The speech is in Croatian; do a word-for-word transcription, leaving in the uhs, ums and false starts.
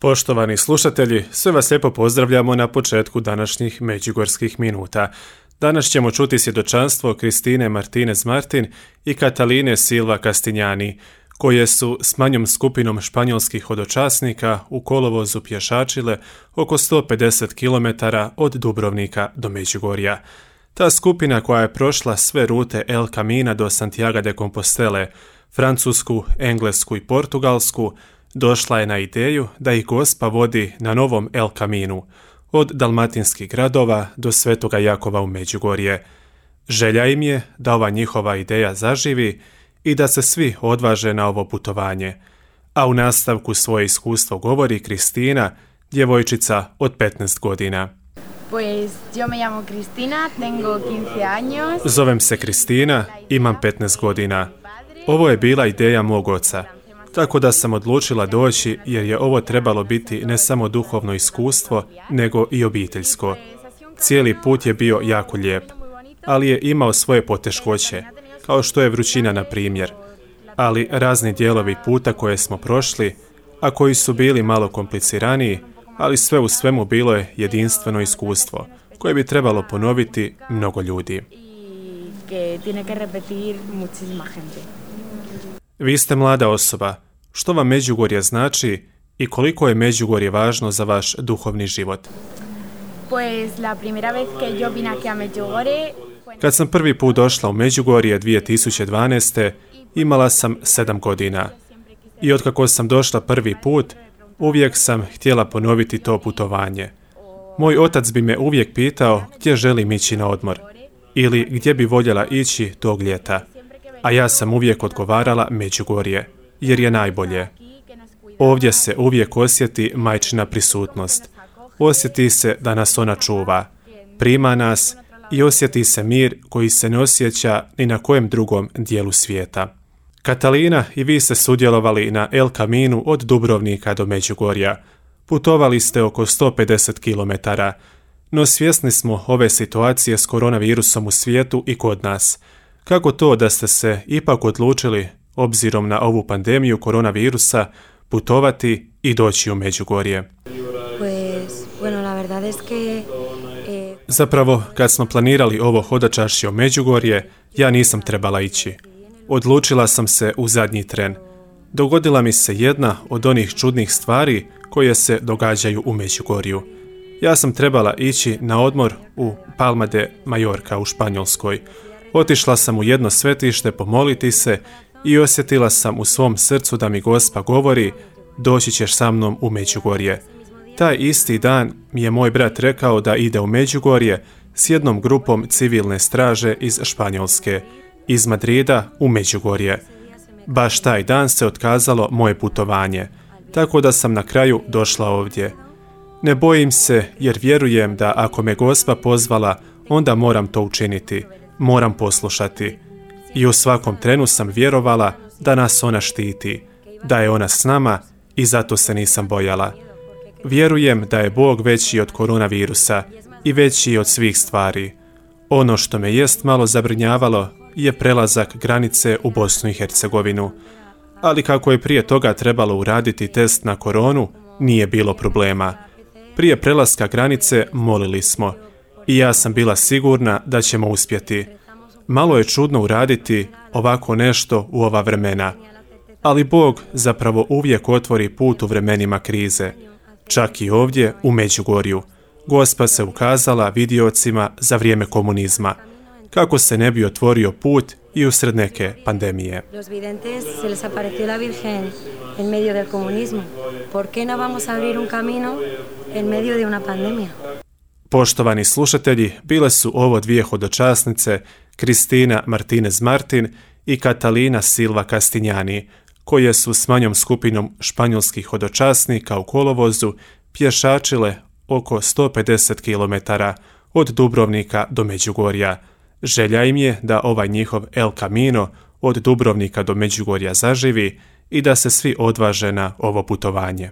Poštovani slušatelji, sve vas lijepo pozdravljamo na početku današnjih Međugorskih minuta. Danas ćemo čuti svjedočanstvo Kristine Martinez Martin i Kataline Silva Castignani, koje su s manjom skupinom španjolskih hodočasnika u kolovozu pješačile oko sto pedeset kilometara od Dubrovnika do Međugorja. Ta skupina koja je prošla sve rute El Camina do Santiago de Compostele, Francusku, Englesku i Portugalsku, došla je na ideju da ih Gospa vodi na novom El Caminu, od dalmatinskih gradova do Svetoga Jakova u Međugorje. Želja im je da ova njihova ideja zaživi i da se svi odvaže na ovo putovanje. A u nastavku svoje iskustvo govori Kristina, djevojčica od petnaest godina. Pues yo me llamo Cristina, tengo quince años. Zovem se Kristina, imam petnaest godina. Ovo je bila ideja mog oca. Tako da sam odlučila doći jer je ovo trebalo biti ne samo duhovno iskustvo, nego i obiteljsko. Cijeli put je bio jako lijep, ali je imao svoje poteškoće, kao što je vrućina na primjer. Ali razni dijelovi puta koje smo prošli, a koji su bili malo kompliciraniji, ali sve u svemu bilo je jedinstveno iskustvo, koje bi trebalo ponoviti mnogo ljudi. Vi ste mlada osoba. Što vam Međugorje znači i koliko je Međugorje važno za vaš duhovni život? Kad sam prvi put došla u Međugorje dvije tisuće dvanaeste. imala sam sedam godina. I otkako sam došla prvi put, uvijek sam htjela ponoviti to putovanje. Moj otac bi me uvijek pitao gdje želim ići na odmor ili gdje bi voljela ići tog ljeta. A ja sam uvijek odgovarala Međugorje, jer je najbolje. Ovdje se uvijek osjeti majčina prisutnost. Osjeti se da nas ona čuva, prima nas i osjeti se mir koji se ne osjeća ni na kojem drugom dijelu svijeta. Katalina i vi ste sudjelovali na El Caminu od Dubrovnika do Međugorja. Putovali ste oko sto pedeset kilometara, no svjesni smo ove situacije s koronavirusom u svijetu i kod nas. Kako to da ste se ipak odlučili, obzirom na ovu pandemiju koronavirusa, putovati i doći u Međugorje? Zapravo, kad smo planirali ovo hodočašće u Međugorje, ja nisam trebala ići. Odlučila sam se u zadnji tren. Dogodila mi se jedna od onih čudnih stvari koje se događaju u Međugorju. Ja sam trebala ići na odmor u Palma de Mallorca u Španjolskoj. Otišla sam u jedno svetište pomoliti se i osjetila sam u svom srcu da mi Gospa govori: doći ćeš sa mnom u Međugorje. Taj isti dan mi je moj brat rekao da ide u Međugorje s jednom grupom civilne straže iz Španjolske, iz Madrida u Međugorje. Baš taj dan se otkazalo moje putovanje, tako da sam na kraju došla ovdje. Ne bojim se jer vjerujem da ako me Gospa pozvala, onda moram to učiniti. Moram poslušati. I u svakom trenu sam vjerovala da nas ona štiti, da je ona s nama i zato se nisam bojala. Vjerujem da je Bog veći od koronavirusa i veći od svih stvari. Ono što me jest malo zabrinjavalo je prelazak granice u Bosnu i Hercegovinu. Ali kako je prije toga trebalo uraditi test na koronu, nije bilo problema. Prije prelaska granice molili smo i ja sam bila sigurna da ćemo uspjeti. Malo je čudno uraditi ovako nešto u ova vremena, ali Bog zapravo uvijek otvori put u vremenima krize. Čak i ovdje u Međugorju. Gospa se ukazala vidiocima za vrijeme komunizma, kako se ne bi otvorio put i usred neke pandemije. Los videntes se les apareció la Virgen en medio del comunismo. ¿Por qué no vamos a abrir un camino en medio de una pandemia? Poštovani slušatelji, bile su ovo dvije hodočasnice, Kristina Martinez Martin i Katalina Silva Castignani, koje su s manjom skupinom španjolskih hodočasnika u kolovozu pješačile oko sto pedeset kilometara od Dubrovnika do Međugorja. Želja im je da ovaj njihov El Camino od Dubrovnika do Međugorja zaživi i da se svi odvaže na ovo putovanje.